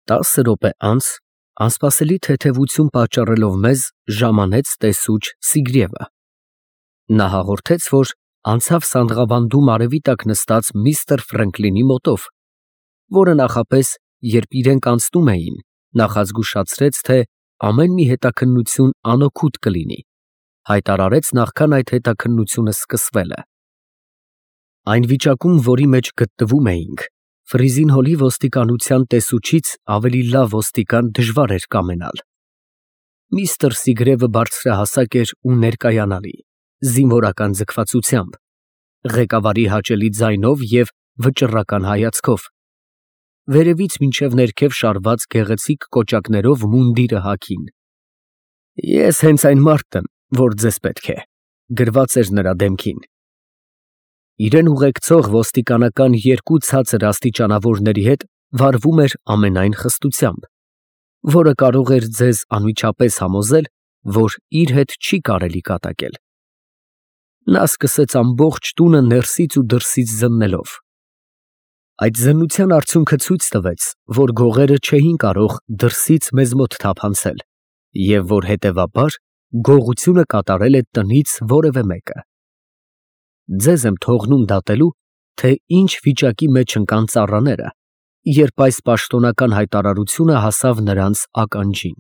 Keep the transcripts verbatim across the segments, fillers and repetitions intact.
Տասը րոպե անց, անսպասելի թեթևություն պատճառելով մեզ, ժամանեց տեսուչ Սիգրիևը. նա հաղորդեց, որ անցավ սանդղաբանդում արևի տակ նստած միստր Ֆրենկլինի մոտով, որը նախապես, երբ իրենք անցնում էին, նախազգուշացրեց, թե ամեն մի հետաքննություն անօգուտ կլինի, հայտարարեց նախքան այդ հետաքննությունը սկսվելը։ Այն վիճակում, որի մեջ գտնվում էինք, Ֆրիզին Հոլի ոստիկանության տեսուչից ավելի լավ ոստիկան դժվար էր կամենալ։ Միստր Սիգրևը բարձրահասակ էր ու ներկայանալի, զինվորական ձգվածությամբ, ղեկավարի հաճելի ձայնով և վճռական հայացքով, վերևից մինչև ներքև շարված գեղեցիկ կոճակներով մունդիրը հագին։ «Ես հենց այն մարդն եմ, որ ձեզ պետք է», գրված էր նրա դեմքին։ Իրեն ուղեկցող ոստիկանական երկու ցածր աստիճանավորների հետ վարվում էր ամենայն խստությամբ, որը կարող էր ձեզ անմիջապես համոզել, որ իր հետ չի կարելի կատակել։ Նա սկսեց ամբողջ տունը ներսից ու դրսից զննելով։ Այդ զննության արդյունքը ցույց տվեց, որ գողերը չէին կարող դրսից մեզ մոտ թափանցել, և որ հետևաբար գողությունը կատարել է տնից որևէ մեկը։ Ձեզ եմ թողնում դատելու, թե ինչ վիճակի մեջ ընկան ծառաները, երբ այս պաշտոնական հայտարարությունը հասավ նրանց ականջին։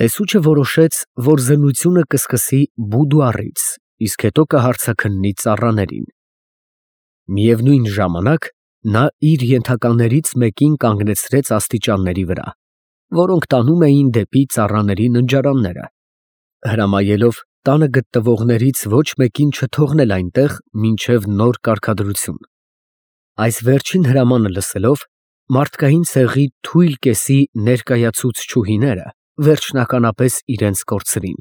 Տեսուչը որոշեց, որ զննությունը կսկսի բուդուարից, իսկ հետո կհարցաքննի ծառաներին։ Միևնույն ժամանակ նա իր ենթականերից մեկին կանգնեցրեց աստիճանների վրա, որոնք տանում էին դեպի ծառաների ննջարանները, հրամայելով տանը գտնվողներից ոչ մեկին չթողնել այնտեղ մինչև նոր կարգադրություն։ Այս վերջին հրամանը լսելով, մարդկային ցեղի թույլ կեսի ներկայացուցչուհիները վերջնականապես իրենց կորցրին։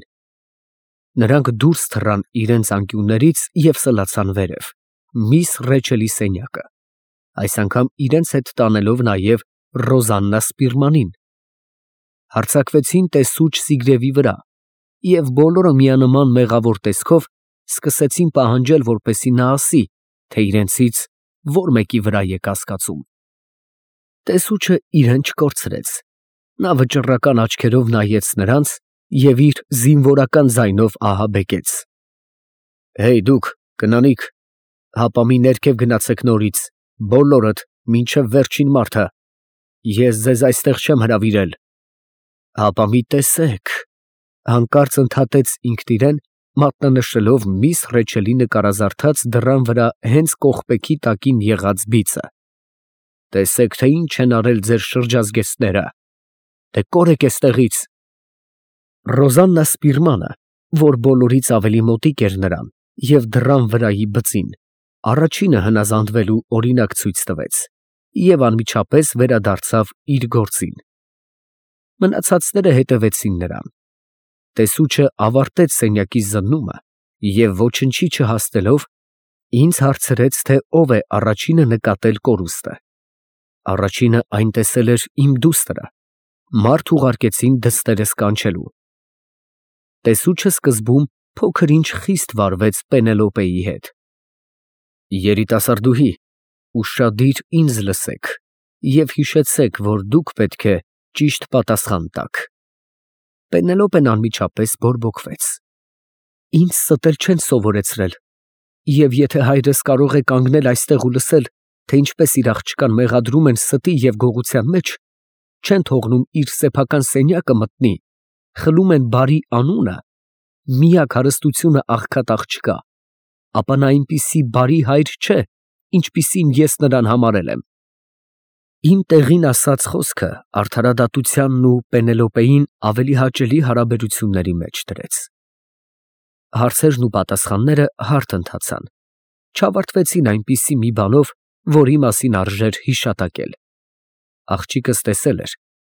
Նրանք դուրս թռան իրենց անկյուններից և սլացան վերև, միս Ռեչելի սենյակը, այս անգամ իրենց հետ տանելով նաև Ռոզաննա Սպիրմանին, հարձակվեցին տեսուչ Սիգրևի վրա և բոլորը միանման մեղավոր տեսքով սկսեցին պահանջել, որպեսզի նա ասի, թե իրենցից ո՞ր մեկի վրա է կասկածում։ Տեսուչը իրեն չկորցրեց, նա վճռական աչքերով նայեց նրանց և իր զինվորական ձայնով ահաբեկեց. «Հեյ դուք, կնանիք, հապա մի ներքև գնացեք նորից, բոլորդ, մինչև վերջին մարդը, ես ձեզ այստեղ չեմ հրավիրել։ Հապա մի տեսեք», հանկարծ ընդհատեց ինքն իրեն, մատնանշելով միս Ռեչելի նկարազարդած դռան վրա հենց կողպեքի տակին եղած բիծը։ «Տեսեք, թե ինչ են արել ձեր շրջազգեստները, դե կորեք էստեղից»։ Ռոզաննա Սպիրմանը, որ բոլորից ավելի մոտիկ էր նրան և դռան վրայի բծին, առաջինը հնազանդվելու օրինակ ցույց տվեց և անմիջապես վերադարձավ իր գործին։ Մնացածները հետևեցին նրան։ Տեսուչը ավարտեց սենյակի զննումը և ոչնչի չհասնելով, ինձ հարցրեց, թե ով է առաջինը նկատել կորուստը։ Առաջինը այն տեսել էր իմ դուստրը, մարդ ուղարկեցին դստերս կանչելու։ Տեսուչը սկզբում փոքր֊ինչ խիստ վարվեց Պենելոպեի հետ։ Երիտասարդուհի, ուշադիր ինձ լսեք և հիշեցեք, որ դուք պետք է ճիշտ պատասխան տաք։ Պենելոպեն անմիջապես բորբոքվեց. «Ինձ ստել չեն սովորեցրել, և եթե հայրս կարող է կանգնել այստեղ ու լսել, թե ինչպես իր աղջկան մեղադրում են ստի և գողության մեջ, չեն թողնում իր սեփական սենյակը մտնի, խլում են բարի անունը, միակ հարստությունը աղքատ աղջկա, ապա նա այնպիսի բարի հայր չէ, ինչպիսին ես նրան համարել եմ»։ Իմ տեղին ասած խոսքը արդարադատությանն ու Պենելոպեին ավելի հաճելի հարաբերությունների մեջ դրեց։ Հարցերն ու պատասխանները հարթ ընթացան, չավարտվեցին այնպիսի մի բանով, որի մասին արժեր հիշատակել։ Աղջիկս տեսել էր,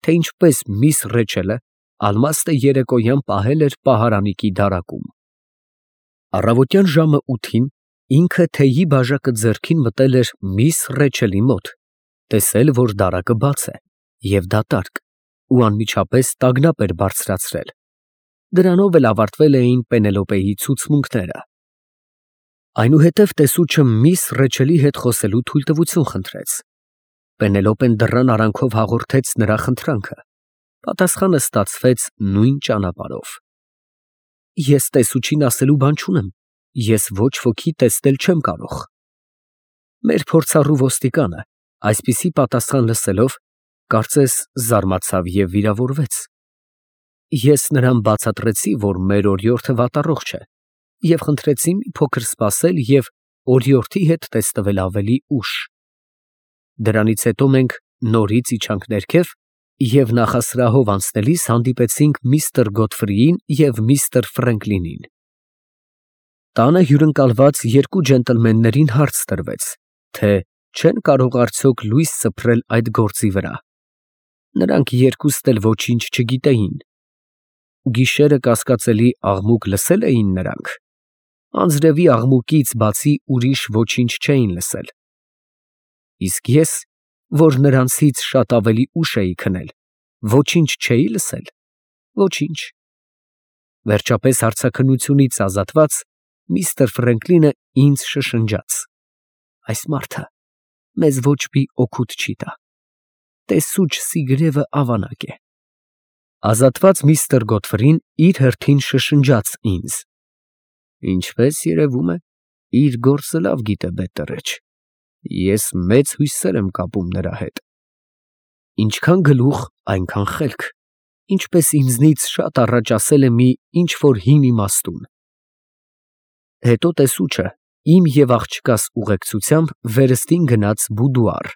թե ինչպես միս Ռեչելը ալմաստը երեկոյան պահել էր պահարանիկի դարակում։ Առավոտյան ժամը ութին ինքը թեյի բաժակը ձեռքին մտել էր միս Ռեչելի մոտ, տեսել, որ դարակը բաց է և դատարկ, ու անմիջապես տագնապ էր բարձրացրել։ Դրանով էլ ավարտվել էին Պենելոպեի ցուցմունքները։ Այնուհետև տեսուչը միս Ռեչելի հետ խոսելու թույլտվություն խնդրեց։ Պենելոպեն դռան արանքով հաղորդեց նրա խնդրանքը, պատասխանը ստացվեց նույն ճանապարհով։ Ես տեսուչին ասելու բան չունեմ, ես ոչ ոքի տեսնել չեմ կարող։ Մեր փորձառու ոստիկանը այսպիսի պատասխան լսելով, կարծես զարմացավ և վիրավորվեց։ Ես նրան բացատրեցի, որ մեր օրիորդը վատառողջ է, և խնդրեցի մի փոքր սպասել և օրիորդի հետ տեսնվել ավելի ուշ։ Դրանից հետո մենք նորից իջանք ներքև և նախասրահով անցնելիս հանդիպեցինք միստր Գոթֆրիին և միստր Ֆրենկլինին։ Տանը հյուրընկալված երկու ջենտլմեններին հարց տրվեց, թե չեն կարող արդյոք լույս սփռել այդ գործի վրա։ Նրանք երկուստ էլ ոչինչ չգիտեին։ Գիշերը կասկածելի աղմուկ լսե՞լ էին նրանք։ Անձրևի աղմուկից բացի ուրիշ ոչինչ չէին լսել։ Իսկ ես, որ նրանցից շատ ավելի ուշ էի քնել, ոչինչ չէի՞ լսել։ Ոչինչ։ Վերջապես հարցաքննությունից ազատված, միստր Ֆրենկլինը ինձ շշնջաց. այս մարդը մեզ ոչ մի օգուտ չի տա։ Տեսուչ Սիգրևը ավանակ է։ Ազատված միստր Գոթֆրին իր հերթին շշնջաց ինձ. ինչպես երևում է, իր գործը լավ գիտե բետտերեչ։ Ես մեծ հույսեր եմ կապում նրա հետ։ Ինչքան գլուխ, այնքան խելք, ինչպես ինձնից շատ առաջ ասել է մի ինչ֊որ հին իմաստուն։ Հետո տեսուչը իմ և աղջկաս ուղեկցությամբ վերստին գնաց բուդուար։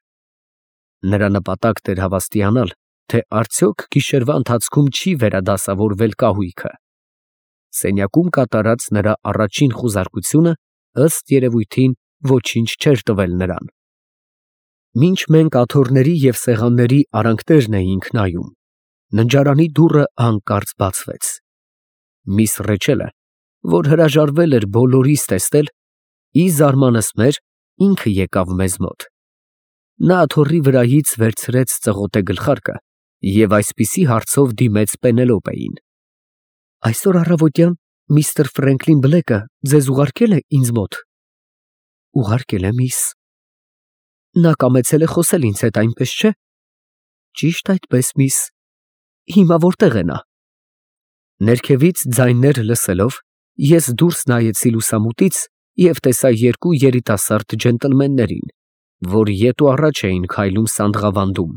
Նրա նպատակն էր հավաստիանալ, թե արդյոք գիշերվա ընթացքում չի վերադասավորվել կահույքը։ Սենյակում կատարած նրա առաջին խուզարկությունը, ըստ երևույթին, ոչինչ չէր տվել նրան։ Մինչ մենք աթոռների և սեղանների արանքներն էինք նայում, ննջարանի դուռը հանկարծ բացվեց։ Միս Ռեչելը, որ հրաժարվել էր բոլորիս տեսնել, ի զարմանս մեր, ինքը եկավ մեզ մոտ։ Նա աթոռի վրայից վերցրեց ծղոտե գլխարկը և այսպիսի հարցով դիմեց Պենելոպեին. այսօր առավոտյան միստր Ֆրենկլին Բլեքը ձեզ ուղարկե՞լ է ինձ մոտ։ Ուղարկել է, միս։ Նա կամեցել է խոսել ինձ հետ, այնպես չէ։ Ճիշտ այդպես, միս։ Հիմա որտե՞ղ է նա։ Ներքևից ձայներ լսելով, ես դուրս նայեցի լուսամուտից և տեսա երկու երիտասարդ ջենտլմեններին, որ ետ ու առաջ էին քայլում սանդղավանդում։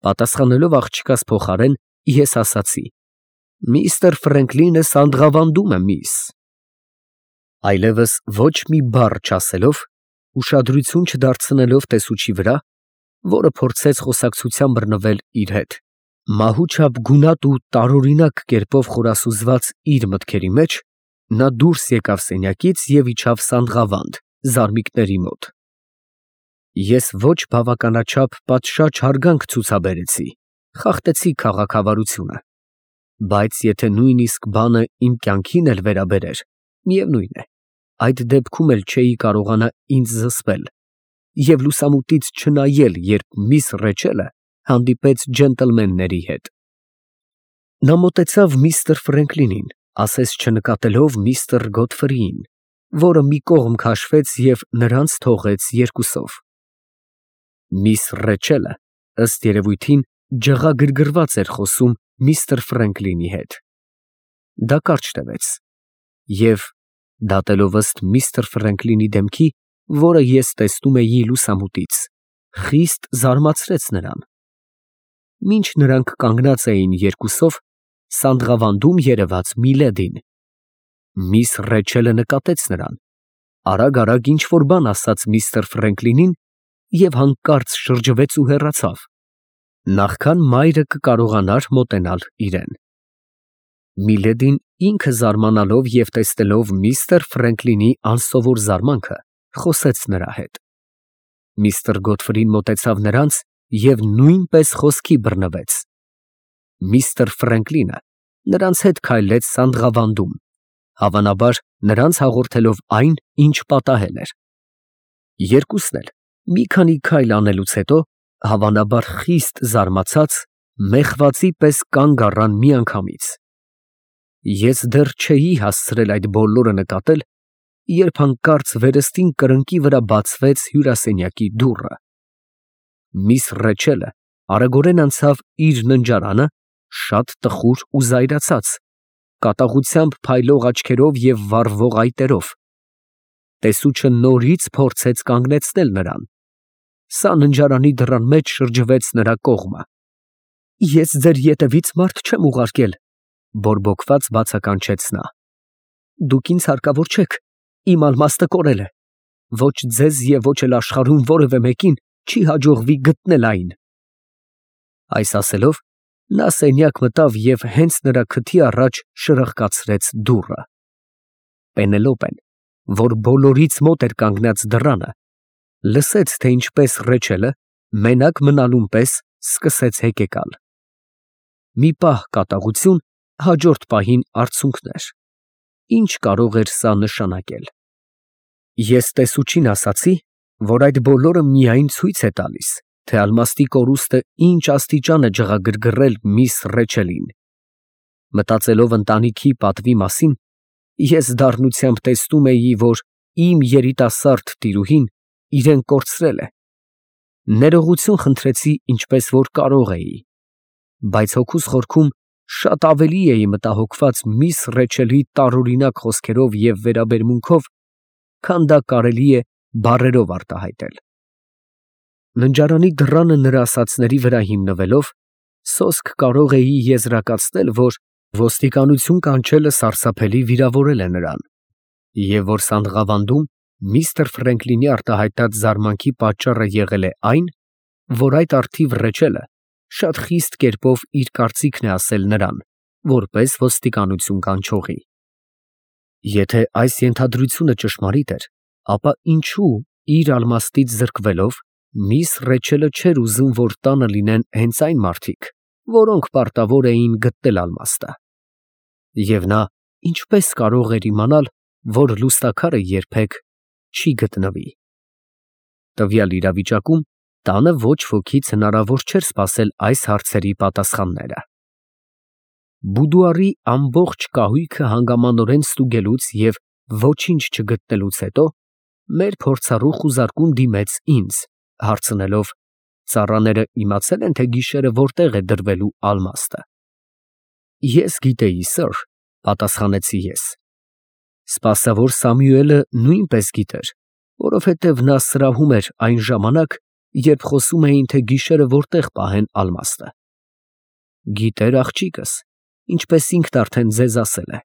Պատասխանելով աղջկաս փոխարեն, ես ասացի. միստր Ֆրենկլինը սանդղավանդում է, միս։ Այլևս ոչ մի բառ չասելով, ուշադրություն չդարձնելով տեսուչի վրա, որը փորձեց խոսակցության բռնվել իր հետ, մահուչափ գունատ ու տարօրինակ կերպով խորասուզված իր մտքերի մեջ, նա դուրս եկավ սենյակից և իջավ սանդղավանդ, զարմիկների մոտ։ Ես ոչ բավականաչափ պատշաճ հարգանք ցուցաբերեցի, խախտեցի քաղաքավարությունը, բայց եթե նույնիսկ բանը իմ կյանքին էլ վերաբերեր, միևնույն է, այդ դեպքում էլ չէի կարողանա ինձ զսպել և լուսամուտից չնայել, երբ միս Ռեչելը հանդիպեց ջենտլմենների հետ։ Նա մոտեցավ միստր Ֆրենկլինին, ասես չնկատելով միստր Գոթֆրիին, որը մի կողմ քաշվեց և նրանց թողեց երկուսով։ Միս Ռեչելը, ըստ երևույթին, ջղագրգռված էր խոսում միստր Ֆրենկլինի հետ։ Դա կարճ տևեց և, դատելով ըստ միստր Ֆրենկլինի դեմքի, որը ես տեսնում էի լուսամուտից, խիստ զարմացրեց նրան։ Մինչ նրանք կանգնած էին երկուսով, սանդղավանդում երևաց Միլեդին։ Միս Ռեչելը նկատեց նրան, արագ֊արագ ինչ֊որ բան ասաց միստր Ֆրենկլինին և հանկարծ շրջվեց ու հեռացավ, նախքան մայրը կկարողանար մոտենալ իրեն։ Միլեդին ինքը զարմանալով և տեսնելով միստր Ֆրենկլինի անսովոր զարմանքը, խոսեց նրա հետ։ Միստր Գոթֆրին մոտեցավ նրանց և նույնպես խոսքի բռնվեց։ Միստր Ֆրենկլինը նրանց հետ քայլեց սանդղավանդում, հավանաբար նրանց հաղորդելով այն, ինչ պատահել էր։ Երկուսն էլ մի քանի քայլ անելուց հետո, հավանաբար խիստ զարմացած, մեղվացի պես կանգ առան միանգամից։ Ես դեռ չէի հասցրել այդ բոլորը նկատել, երբ հանկարծ վերստին կրկնակի վրա բացվեց հյուրասենյակի դուռը։ միս Ռեչելը արագորեն անցավ իր ննջարանը, շատ տխուր ու զայրացած, կատաղությամբ փայլող աչքերով և վառվող այտերով։ Տեսուչը նորից փորձեց կանգնեցնել նրան։ Սա ննջարանի դռան մեջ շրջվեց նրա կողմը։ «Ես ձեր ետևից մարդ չեմ ուղարկել», բորբոքված բացականչեց նա։ «Դուք ինձ հարկավոր չեք, իմ ալմաստը կորել է։ Ոչ ձեզ և ոչ էլ աշխարհում որևէ մեկին չի հաջողվի գտնել այն»։ Այս ասելով, նա սենյակ մտավ և հենց նրա քթի առաջ շրխկացրեց դուռը։ Պենելոպեն, որ բոլորից մոտ էր կանգնած դռանը, լսեց, թե ինչպես Ռեչելը, մենակ մնալուն պես, սկսեց հեկեկալ։ Մի պահ կատաղություն, հաջորդ պահին արցունքներ։ Ինչ կարող էր սա նշանակել։ Ես տեսուչին ասացի, որ այդ բոլորը միայն ցույց է տալիս, թե ալմաստի կորուստը ինչ աստիճան է ջղագրգռել միս Ռեչելին։ Մտածելով ընտանիքի պատվի մասին, ես դառնությամբ տեսնում էի, որ իմ երիտասարդ տիրուհին իրեն կորցրել է։ Ներողություն խնդրեցի, ինչպես որ կարող էի, բայց հոգուս խորքում շատ ավելի էի մտահոգված միս Ռեչելի տարօրինակ խոսքերով և վերաբերմունքով, քան դա կարելի է բառերով արտահայտել։ Ննջարանի դռանը նրա ասածների վրա հիմնվելով, սոսկ կարող էի եզրակացնել, որ ոստիկանություն կանչելը սարսափելի վիրավորել է նրան, և որ Սանդղավանդում միստր Ֆրենքլինի արտահայտած զարմանքի պատճառը եղել է այն, որ այդ առթիվ Ռեչելը շատ խիստ կերպով իր կարծիքն է ասել նրան, որպես ոստիկանություն կանչողի։ Եթե այս ենթադրությունը ճշմարիտ էր, ապա ինչո՞ւ իր ալմաստից զրկվելով միս Ռեչելը չէր ուզում, որ տանը լինեն հենց այն մարդիկ, որոնք պարտավոր էին գտնել ալմաստը։ Եվ նա ինչպես կարող էր իմանալ, որ լուստաքարը երբեք չի գտնվի։ Տվյալ իրավիճակում տանը ոչ ոքից հնարավոր չէր սպասել այս հարցերի պատասխանները։ Բուդուարի ամբողջ կահույքը հանգամանորեն ստուգելուց և ոչինչ չգտնելուց հետո, մեր փորձառու խուզարկուն դիմեց ինձ, հարցնելով. «Ծառաները իմացել են, թե գիշերը որտեղ է դրվելու ալմաստը»։ «Ես գիտեի, սըր», պատասխանեցի ես։ Սպասավոր Սամուելը նույնպես գիտեր, որովհետև նա սրահում էր այն ժամանակ, երբ խոսում էին, թե գիշերը որտեղ պահեն ալմաստը։ Գիտեր աղջիկս, ինչպես ինքն արդեն ձեզ ասել է։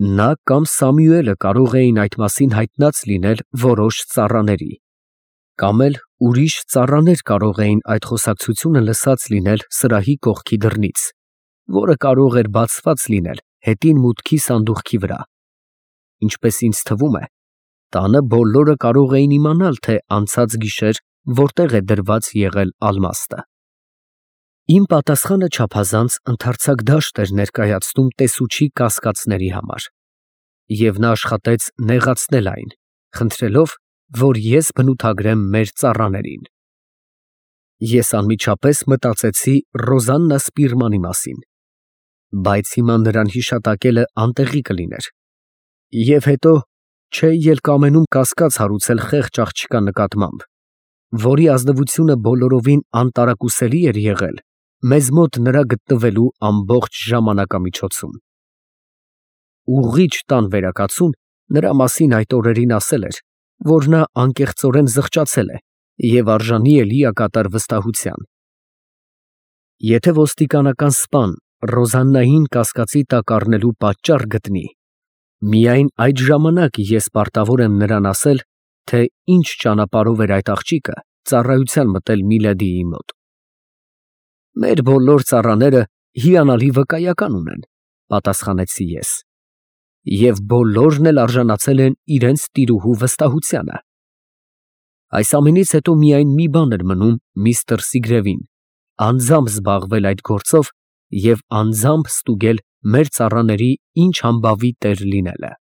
Նա կամ Սամուելը կարող էին այդ մասին հայտնած լինել որոշ ծառաների, կամ էլ ուրիշ ծառաներ կարող էին այդ խոսակցությունը լսած լինել սրահի կողքի դռնից, որը կարող էր բացված լինել հետին մուտքի սանդուղքի վրա։ Ինչպես ինձ թվում է, տանը բոլորը կարող էին իմանալ, թե անցած գիշեր որտեղ է դրված եղել ալմաստը։ Իմ պատասխանը չափազանց ընդարձակ դաշտ էր ներկայացնում տեսուչի կասկածների համար, և նա աշխատեց նեղացնել այն, խնդրելով, որ ես բնութագրեմ մեր ծառաներին։ Ես անմիջապես մտածեցի Ռոզաննա Սպիրմանի մասին, բայց հիմա նրան հիշատակելը անտեղի կլիներ։ Եվ հետո չէի էլ կամենում կասկած հարուցել խեղճ աղջկա նկատմամբ, որի ազնվությունը բոլորովին անտարակուսելի էր եղել մեզ մոտ նրա գտնվելու ամբողջ ժամանակամիջոցում։ Ուղղիչ տան վերակացուն նրա մասին այդ օրերին ասել էր, որ նա անկեղծորեն զղջացել է և արժանի է լիակատար վստահության։ Եթե ոստիկանական սպան Ռոզաննային կասկածի տակ առնելու պատճառ գտնի, միայն այդ ժամանակ ես պարտավոր եմ նրան ասել, թե ինչ ճանապարհով էր այդ աղջիկը ծառայության մտել Միլադիի մոտ։ Մեր բոլոր ծառաները հիանալի վկայական ունեն, պատասխանեցի ես, և բոլորն էլ արժանացել են իրենց տիրուհու վստահությանը։ Այս ամենից հետո միայն մի բան էր մնում միստր Սիգրևին, անձամբ զբաղվել այդ գործով և անձամբ ստուգել մեր ծառաների ինչ համբավի տեր լինելը։